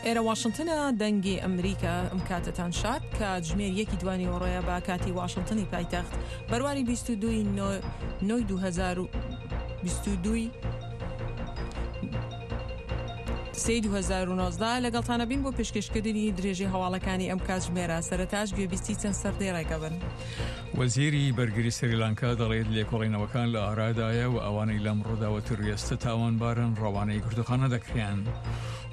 ئێرە واشنتنە دەنگی ئەمریکا ئەم کاتەتان شاد کاتژمێر یەکی دوانیوەڕۆیە بە کاتی واشنتنی پایتەخت بەرواری 22 نۆی 2022 سێی 2019 لەگەڵتانە بین بۆ پێشکەشکردنی درێژەی هەواڵەکانی ئەم کاتژمێرە سەرەتاش گوێبیستی چەند سەردێڕێکە بن. وەزیری بەرگری سریلانکا دەڵێت لێکۆڵینەوەکان لە ئارادایە و ئەوانەی لەم ڕووداوە تیرۆریستە تاوانبارن ڕەوانەی گرتوخانە دەکرێن.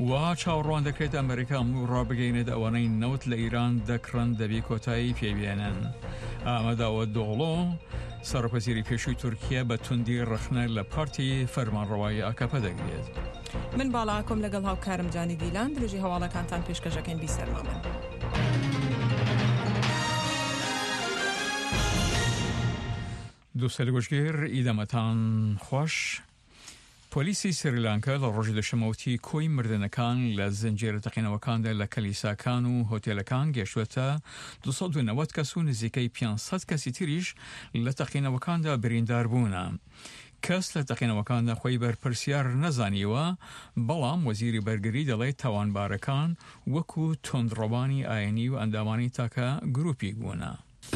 وا چاوەڕوان دەکرێت ئەمریکا ئەمڕۆ ڕابگەینێت ئەوانەی نەوت لە ئیران دەکڕن دەبی کۆتایی پێبێنن. ئامەداوە دۆغڵۆ سەرۆکوەزیری پێشووی تورکیا بە توندی ڕەخنە لە پارتی فەرمانڕەوایی ئاکەپە دەگرێت. من باڵا ئاکۆم لەگەڵ هاوکارم جانی دیلان درێژەی هەواڵەکانتان پێشکەشەکەین بیسەرمامن. دووسەل گوشگیر ئیدەمەتان خوەش. پۆلیسی سریلانکا لە ڕۆژی دوشەممە وتی کۆی مردنەکان لە زنجیرە تەقینەوەکاندا لە کلیساکان و هۆتێلەکان گەیشتووەتە 290 کەس و نزیکەی 500 کەسی تریش لە تەقینەوەکاندا بریندار بوونە. کەس لە تەقینەوەکاندا خۆی بەرپرسیار نەزانیوە، بەڵام وەزیری بەرگری دەڵێت تاوانبارەکان وەکو توندڕەوانی ئاینی و ئەندامانی تاکە گروپیک بوونە.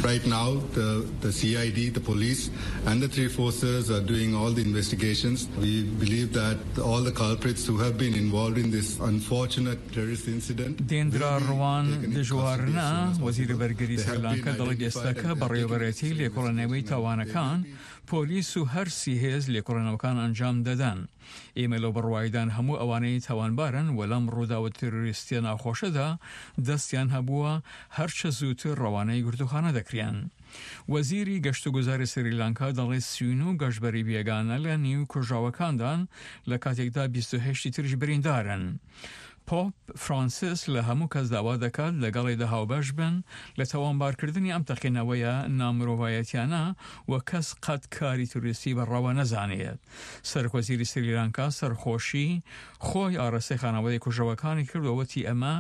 Right now the the CID, the police and the three forces are doing all the investigations. We believe that all the culprits who have been involved in this unfortunate terrorist incident دێندرا ڕوان دژوارنا، وەزیری بەرگری سریلانکا دەڵێت ئێستاکە بەڕێوەبەرێتی لێکۆڵێنەوەی تاوانەکان پۆلیس و هەر سی هێز لێکۆڵێنەوەکان ئەنجام دەدەن. ئێمە لەو بڕوایدان هەموو ئەوانەی تاوانبارن و لەم ڕووداوە تیرۆریستیە ناخۆشەدا دەستیان هەبووە هەرچە زووتر ڕەوانەی گرتووخانە دەکرێن. وەزیری گەشتوگوزاری سریلانکا دەڵێت 39 گەشتبەری بێگانە لە نیو کوژراوەکاندان لە کاتێکدا 28 ی تریش بریندارن. پۆپ فرانسیس لە هەموو کەس داوا دەکات لەگەڵیدا هاوبەش بن لە تاوانبارکردنی ئەم تەقینەوەیە نامرۆڤایەتیانە و کەس قەت کاری تیرۆریستی بە ڕەوا نەزانێت. سەرۆکوەزیری سریلانکا سەرخۆشی خۆی ئاراستەی خانەوادەی کوژراوەکانی کرد و وتی ئەمە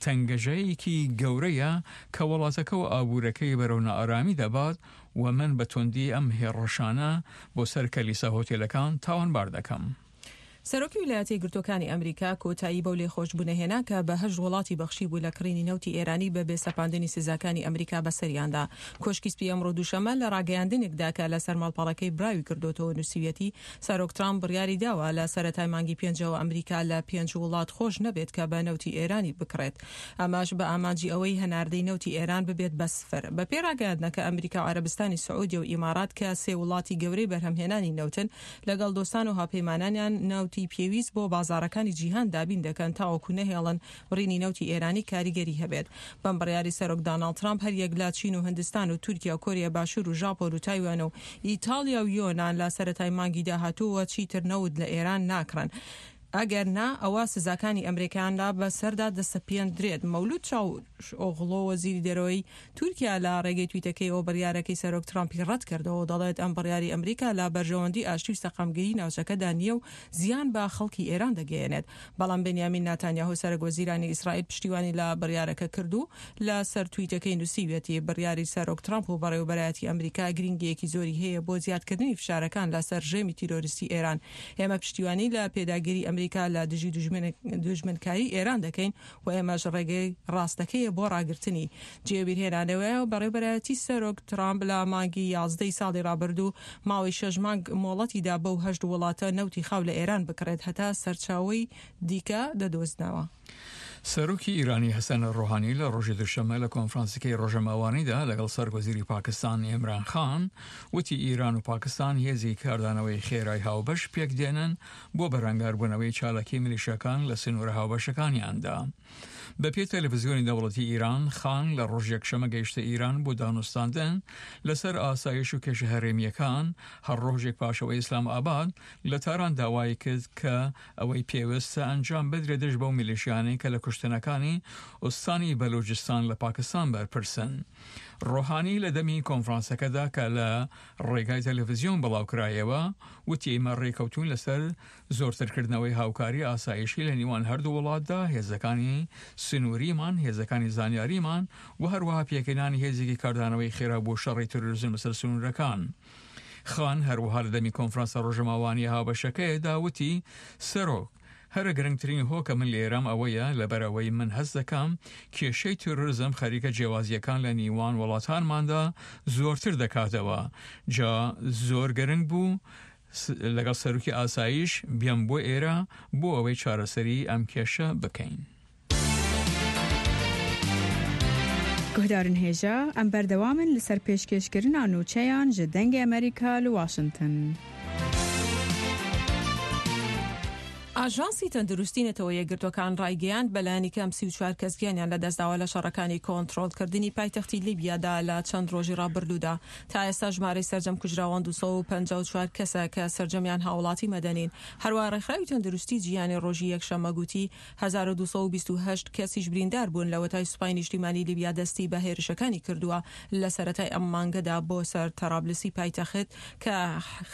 تەنگەژەیەکی گەورەیە کە وڵاتەکە و ئابوورەکەی بەرەو نائارامی دەبات و من بە توندی ئەم هێڕشانە بۆ سەر کەلیسا هۆتێلەکان تاوانبار دەکەم. سەرۆکی ویلایەتە یەکگرتووەکانی ئەمریکا کۆتایی بەو لێخۆشبوونە هێنا کە بە هەشت وڵاتی بەخشیبوو لە کڕینی نەوتی ئێرانی بە بێ سەپاندنی سزاکانی ئەمریکا بەسەریاندا. کۆشکی سپی ئەمڕۆ دووشەممە لە ڕاگەیاندنێکدا کە لەسەر ماڵپەڕەکەی براوی کردۆتەوە نووسیویەتی سەرۆک ترامپ بڕیاری داوە لە سەرەتای مانگی پێنجەوە ئەمریکا لە پێنج وڵات خۆش نەبێت کە بە نەوتی ئێرانی بکڕێت ئەمەش بە ئامانجی ئەوەی هەناردەی نەوتی ئێران ببێت بە سفر. بەپێی ڕاگەیاندنەکە ئەمریکا و عەرەبستانی سعودیە و ئیمارات کە سێ وڵاتی گەورەی بەرهەمهێنانی نەوتن لەگەڵ دۆستان و هاوپەیمانانیان نەوتی پێویست بۆ بازاڕەکانی جیهان دابین دەکەن تاوەکو نەهێڵن بڕینی نەوتی ئێرانی کاریگەری هەبێت. بەم بڕیاری سەرۆک داناڵد ترامپ هەریەک لە چین و هندستان و تورکیا و کۆریای باشوور و ژاپۆن و تایوان و ئیتاڵیا و یۆنان لە سەرەتای مانگی داهاتووەوە چیتر نەوت لە ئێران ناکڕن. ئەگەر نا ئەوا سزاکانی ئەمریکایان لا بەسەردا دەسەپێندرێت. مەولود چاوشئۆغڵۆ وەزیری دەرەوەی تورکیا لە ڕێگەی تویتەکەیەوە بڕیارەکەی سەرۆک ترامپی ڕەتکردەوە و دەڵێت ئەم بڕیاری ئەمریکا لە بەرژەوەندی ئاشتی و سەقامگیری ناوچەکەدا نییە و زیان بە خەڵکی ئێران دەگەیەنێت. بەڵام بنیامین ناتانیاهۆ سەرەک وەزیرانی ئیسرائیل پشتیوانی لە بڕیارەکە کرد و لە سەر تویتەکەی نووسیویەتی بڕیاری سەرۆک ترامپ و بەڕێوەبەرایەتی ئەمریکا گرینگییەکی زۆری هەیە بۆ زیادکردنی فشارەکان لە سەر ڕژێمی تیرۆریستی ئێران. ئێمە پشتیوانی لە پێداگیری ئەمریکا لە دژی دوژمنکاری ئێران دەکەین و ئێمەش ڕێگەی ڕاستەکەیە بۆ ڕاگرتنی. جێی بیرهێنانەوەیە بەڕێوەبەرایەتی سەرۆک ترامپ لە مانگی یازدەی ساڵی ڕابردوو ماوەی شەش مانگ مۆڵەتی دا بەو هەشت وڵاتە نەوتی خاو لە ئێران بکڕێت هەتا سەرچاوەی دیکە دەدۆزنەوە. سەرۆکی ئیرانی حەسەن ڕۆحانی لە ڕۆژی دوشەممە لە کۆنفرانسەکەی ڕۆژەماوانیدا لەگەڵ سەرۆکوەزیری پاکستان ئیمران خان وتی ئیران و پاکستان هێزی کاردانەوەی خێرای هاوبەش پێکدێنن بۆ بەرەنگاربوونەوەی چالاکی میلیشیاکان لە سنوورە هاوبەشەکانیاندا. بەپێی تەلەفزیۆنی دەوڵەتی ئیران، خان لە ڕۆژی یەکشەممە گەیشتە ئیران بۆ دانوستاندن لەسەر ئاسایش و کێشە هەرێمییەکان، هەر ڕۆژێک پاش ئەوەی ئیسلام ئاباد لە تاران داوای کرد کە ئەوەی پێوستە ئەنجام بدرێت دژ بەو میلیشیانەی کە لە کوشتنەکانی ئوستانی بەلوجستان لە پاکستان بەرپرسن. ڕۆحانی لە دەمی کۆنفرانسەکەدا کە لە ڕێگای تەلەفزیۆن بڵاوکرایەوە وتی ئێمە ڕێکەوتوین لەسەر زۆرترکردنەوەی هاوکاری ئاسایشی لە نیوان هەردوو وڵاتدا، هێزەکانی سنووریمان، هێزەکانی زانیاریمان و هەروەها پێکهێنانی هێزێکی کاردانەوەی خێرا بۆ شەڕی تیرۆریزم لەسەر سنوورەکان. خان هەروەها لە دەمی کۆنفرانسە ڕۆژەماوانییە هاوبەشەکەیدا وتی، سەرۆک. هەرە گرنگترین هۆ کە من لێرەم ئەوەیە لەبەر ئەوەی من هەست دەکەم کێشەی تیرۆرزم خەریکە جیاوازییەکان لە نیوان وڵاتانماندا زۆرتر دەکاتەوە جا زۆر گرنگ بوو لەگەڵ سەرۆکی ئاسایش بێم بۆ ئێرە بۆ ئەوەی چارەسەری ئەم کێشە بکەین. Guhdarên hêja, em berdewam in li ser pêşkêşkirina nûçeyan ji Dengê Amerîka li Washington. ئاژانسی تەندروستی نەتەوە یەکگرتووەکان ڕایگەیاند، بەلایەنی کەم 34 کەس گیانیان لەدەستداوە لە شەڕەکانی کۆنترۆڵکردنی پایتەختی لیبیادا لە چەند ڕۆژی ڕابردوودا. تا ئێستا ژمارەی سەرجەم کوژراوان 254 کەسە کە سەرجەمیان هاوڵاتی مەدەنین. هەروەها ڕێکخراوی تەندروستی جیهانی ڕۆژی یەکشەممە گوتی، 1228 کەسیش بریندار بوون لەوەتای سوپای نیشتیمانی لیبیا دەستی بە هێرشەکانی کردووە لە سەرەتای ئەم مانگەدا بۆ سەر تەرابلسی پایتەخت کە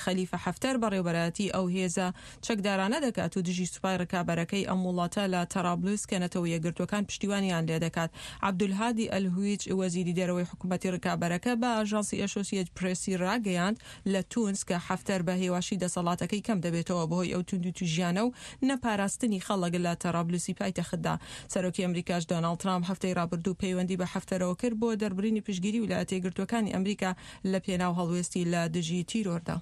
خەلیفە حەفتەر بەڕێوەبەرایەتی ئەو هێزە چەکدارانە دەکات و دژی سوپای ڕکابەرەکەی ئەم وڵاتە لە تەرابلس کە نەتەوە یەکگرتووەکان پشتیوانیان لێدەکات. عەبدولهادی ئەلهویج وەزیری دەرەوەی حکومەتی ڕکابەرەکە بە ئاژانسی ئەسۆسیەت پرێسی ڕاگەیاند لە تونس کە حەفتەر بە هێواشی دەسەڵاتەکەی کەم دەبێتەوە بەهۆی ئەو توندوتیژیانە و نەپاراستنی خەڵک لە تەرابلسی پایتەختدا. سەرۆکی ئەمریکاش دۆناڵد ترامپ هەفتەی ڕابردوو پەیوەندی بە حەفتەرەوە کرد بۆ دەربڕینی پشتگیری ویلایەتە یەکگرتووەکانی ئەمریکا لە پێناو هەڵوێستی لە دژی تیرۆردا.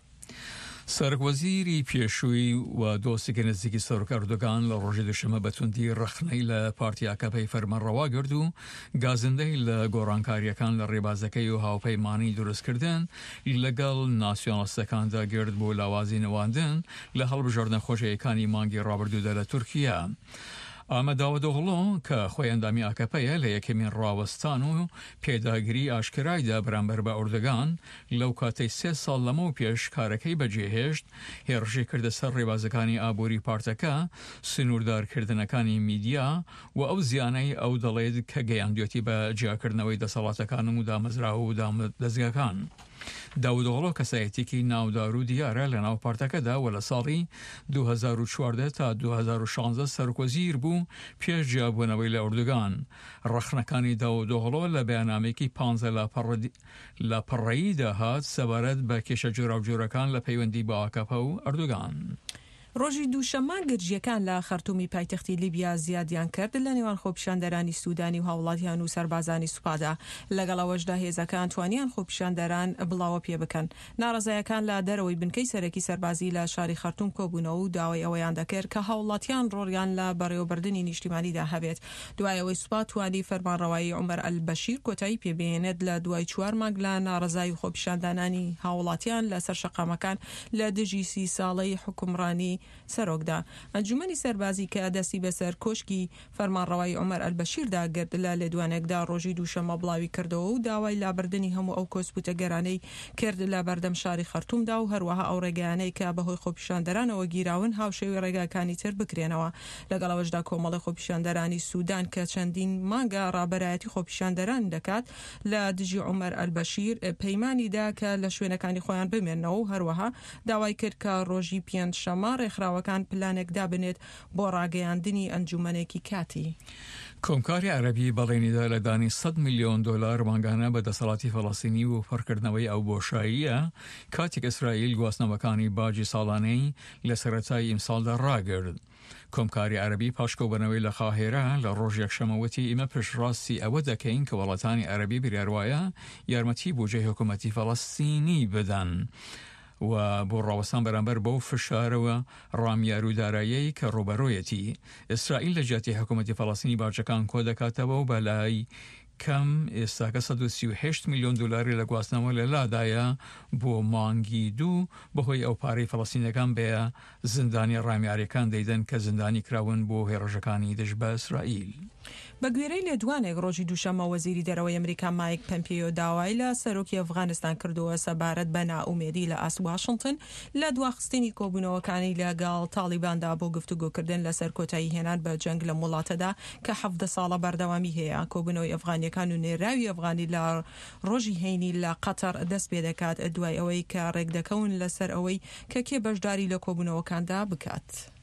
سەرۆک وەزیری پێشووی و دۆستێکی نزیکی سەرۆک ئەردۆگان لە ڕۆژی دوشەمە بە توندی ڕەخنەی لە پارتی ئاکەپەی فەرمانڕەوا گرت و گازندەی لە گۆڕانکارییەکان لە ڕێبازەکەی و هاوپەیمانی دروستکردن لەگەڵ ناسیۆنالیستەکاندا گرت بۆ لاوازی نواندن لە هەڵبژاردنە خۆجێیەکانی مانگی ڕابردوودا لە تورکیا. ئامەد داودئۆغڵۆ کە خۆی ئەندامی ئاکەپەیە لە یەکەمین ڕاوەستان و پێداگری ئاشکرایدا بەرامبەر بە ئەردۆگان لەو کاتەی سێ ساڵ لەمەو پێش کارەکەی بەجێهێشت، هێڕشی کردە سەر ڕێبازەکانی ئابووری پارتەکە، سنووردارکردنەکانی میدیا و ئەو زیانەی ئەو دەڵێت کە گەیاندوێتی بە جیاکردنەوەی دەسەڵاتەکان و دامەزراوە و دامودەزگاکان. داودئۆغڵۆ کەسایەتیەکی ناودار و دیارە لەناو پارتەکەدا و لە ساڵی 2014 تا 2016 سەرۆکوەزیر بوو پێش جیابوونەوەی لە ئەردۆگان. ڕەخنەکانی داودئۆغڵۆ لە بەیاننامەیەکی پانزە لاپەڕەییدا هات سەبارەت بە کێشە جۆراوجۆرەکان لە پەیوەندی بە ئاکەپە و ئەردۆگان. ڕۆژی دووشەممە گرژییەکان لە خەرتومی پایتەختی لیبیا زیادیان کرد لە نێوان خۆپیشاندەرانی سودانی و هاوڵاتیان و سەربازانی سوپادا، لەگەڵ ئەوەشدا هێزەکان توانیان خۆپیشاندەران بڵاوە پێبکەن. ناڕەزایەکان لە دەرەوەی بنکەی سەرەکی سەربازی لە شاری خەرتوم کۆبوونەوە و داوای ئەوەیان دەکرد کە هاوڵاتیان ڕۆڵیان لە بەڕێوەبردنی نیشتیمانیدا هەبێت دوای ئەوەی سوپا توانی فەرمانڕەوایی عومەر ئەلبەشیر کۆتایی پێبهێنێت لە دوای چوار مانگ لە ناڕەزایی و خۆپیشاندانانی هاوڵاتیان لەسەر شەقامەکان لە دژی سی ساڵەی حوکمڕانی سەرۆکدا. ئەنجومەنی سەربازی کە دەستی بەسەر کۆشکی فەرمانڕەوایی عومەر ئەلبەشیردا گرت لە لێدوانێکدا ڕۆژی دووشەممە بڵاویکردەوە و داوای لابردنی هەموو ئەو کۆسپوتەگەرانەی کرد لە بەردەم شاری خەرتومدا و هەروەها ئەو ڕێگایانەی کە بەهۆی خۆپیشاندەرانەوە گیراون هاوشێوەی ڕێگاکانی تر بکرێنەوە. لەگەڵ ئەوەشدا کۆمەڵی خۆپیشاندەرانی سودان کە چەندین مانگە ڕابەرایەتی خۆپیشاندەران دەکات لە دژی عومەر ئەلبەشیر پەیمانی دا کە لە شوێنەکانی خۆیان بمێننەوە و هەروەها داوای کرد کە ڕۆژی پێنجشەممە ڕێکخراوەکان پلانێک دابنێت بۆ ڕاگەیاندنی ئەنجومەنێکی کاتی. کۆمکاری عەرەبی بەڵێنیدا لە دانی سەد ملیۆن دۆلار مانگانە بە دەسەڵاتی فەڵەستینی بۆ پڕکردنەوەی ئەو بۆشاییە کاتێک ئیسرائیل گواستنەوەکانی باجی ساڵانەی لە سەرەتای ئیمساڵدا ڕاگرت. کۆمکاری عەرەبی پاش کۆبوونەوەی لە قاهیرە لە ڕۆژی یەکشەممە وتی ئیمە پشتڕاستی ئەوە دەکەین کە وڵاتانی عەرەبی بریاروایە یارمەتی بوجەی حکومەتی فەڵەستینی بدەن و بۆ ڕاوەستان بەرامبەر بەو فشارە و ڕامیار و داراییەی کە ڕووبەرۆیەتی. ئیسرائیل لە جیاتی حکومەتی فەڵەستینی باجەکان کۆدەکاتەوە و بەلای کەم ئێستاکە 138 ملیۆن دۆلاری لە گواستنەوە لە لادایە بۆ مانگی دوو بەهۆی ئەو پارەی فەڵەستینیەکان بە زیندانیە ڕامیاریەکان دەیدەن کە زیندانی کراون بۆ هێڕشەکانی دژ بە ئیسرائیل. بە گوێرەی لێدوانێک ڕۆژی دووشەممە وەزیری دەرەوەی ئەمریکا مایک پەمپێیۆ داوای لە سەرۆکی ئەفغانستان کردووە سەبارەت بە نائومێدی لە ئاست واشنتن لە دواخستنی کۆبوونەوەکانی لەگەڵ تاڵیباندا بۆ گفتوگۆکردن لەسەر کۆتایی هێنان بە جەنگ لەم وڵاتەدا کە 17 ساڵە بەردەوامی هەیە. کۆبوونەوەی ئەفغانییەکان و نێراوی ئەفغانی لە ڕۆژی هەینی لە قەتەڕ دەست پێدەکات دوای ئەوەی کە ڕێکدەکەون لەسەر ئەوەی کە کێ بەشداری لە کۆبوونەوەکاندا بکات.